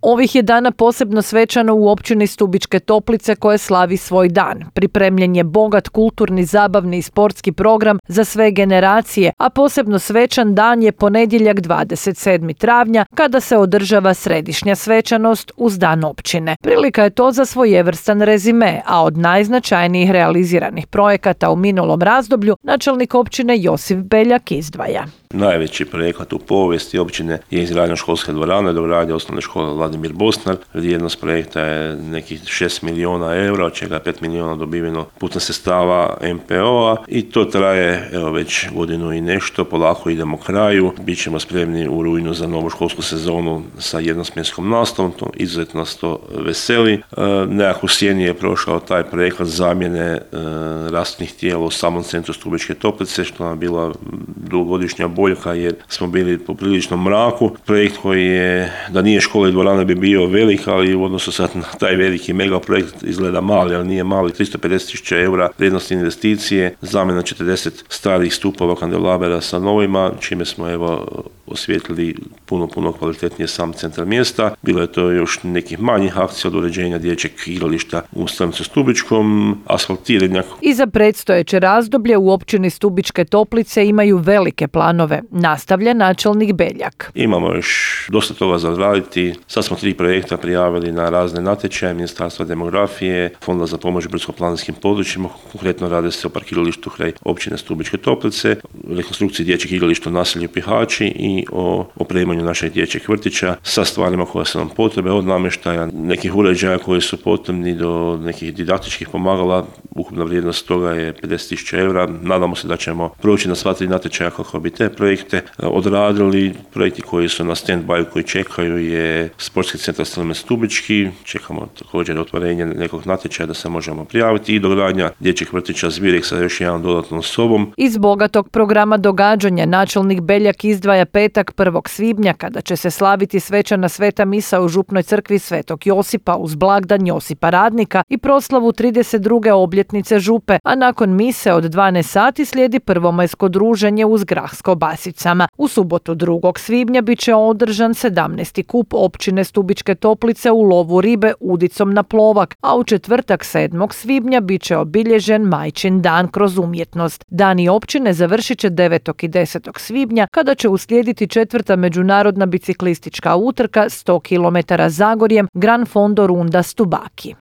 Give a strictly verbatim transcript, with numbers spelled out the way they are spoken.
Ovih je dana posebno svečano u općini Stubičke Toplice koje slavi svoj dan. Pripremljen je bogat kulturni, zabavni i sportski program za sve generacije, a posebno svečan dan je ponedjeljak dvadeset sedmog travnja kada se održava središnja svečanost uz dan općine. Prilika je to za svojevrstan rezime, a od najznačajnijih realiziranih projekata u minulom razdoblju načelnik općine Josip Beljak izdvaja. Najveći projekat u povijesti općine je izgradnja školske dvorane, dogradnja osnovne škole Vladimir Bosnar. Vrijednost projekta je nekih šest milijuna eura, od čega pet milijuna dobiveno putem sredstava em pe o-a i to traje evo već godinu i nešto, polako idemo kraju. Bićemo spremni u rujnu za novu školsku sezonu sa jednosmjenskom nastavom, to izuzetno nas to veseli. E, nekako sjeni je prošao taj projekat zamjene e, rastnih tijela u samom centru Stubičke Toplice, što nam je bila dugogodišnja boljka jer smo bili po priličnom mraku. Projekt koji je, da nije škola i dvorana bi bio velik, ali u odnosu sad na taj veliki mega projekt izgleda mali, ali nije mali. tristo pedeset tisuća eura vrijednosti investicije, zamjena četrdeset starih stupova kandelabera sa novima, čime smo evo osvijetlili puno, puno kvalitetnije sam centar mjesta. Bilo je to još nekih manjih akcija od uređenja dječjeg igrališta u Stanicu Stubičkom, asfaltiranja. I za predstojeće razdoblje u općini Stubičke Toplice imaju velike planove, nastavlja načelnik Beljak. Imamo još dosta toga za odraditi. Sad smo tri projekta prijavili na razne natječaje Ministarstva demografije, Fonda za pomoć brdsko-planinskim područjima, konkretno radi se o parkiralištu kraj općine Stubičke Toplice, rekonstrukciji dječjeg igrališta u naselju Pihači i o opremanju našeg dječjeg vrtića sa stvarima koje su nam potrebe, od namještaja, nekih uređaja koji su potrebni do nekih didaktičkih pomagala. Ukupna vrijednost toga je pedeset tisuća eura. Nadamo se da ćemo proći na sva tri natječaja kako bi te projekte odradili. Projekti koji su na stand-by, koji čekaju, je Sportski centar Stelmen Stubički. Čekamo također otvorenje nekog natječaja da se možemo prijaviti i dogradnja dječjeg vrtića Zvirek sa još jednom dodatnom sobom. Iz bogatog programa događanja načelnik Beljak izdvaja petak prvog svibnja kada će se slaviti svečana sveta misa u župnoj crkvi Svetog Josipa uz blagdan Josipa Radnika i proslavu trideset druge obljetnice župe, a nakon mise od dvanaest sati slijedi prvomajsko druženje uz grah s kobasicama. U subotu drugog svibnja bit će održan sedamnaesti kup općine Stubičke Toplice u lovu ribe udicom na plovak, a u četvrtak sedmog svibnja bit će obilježen Majčin dan kroz umjetnost. Dani općine završit će devetog i desetog svibnja kada će uslijediti četvrta međunarodna biciklistička utrka sto kilometara Zagorjem Gran Fondo Runda Stubaki.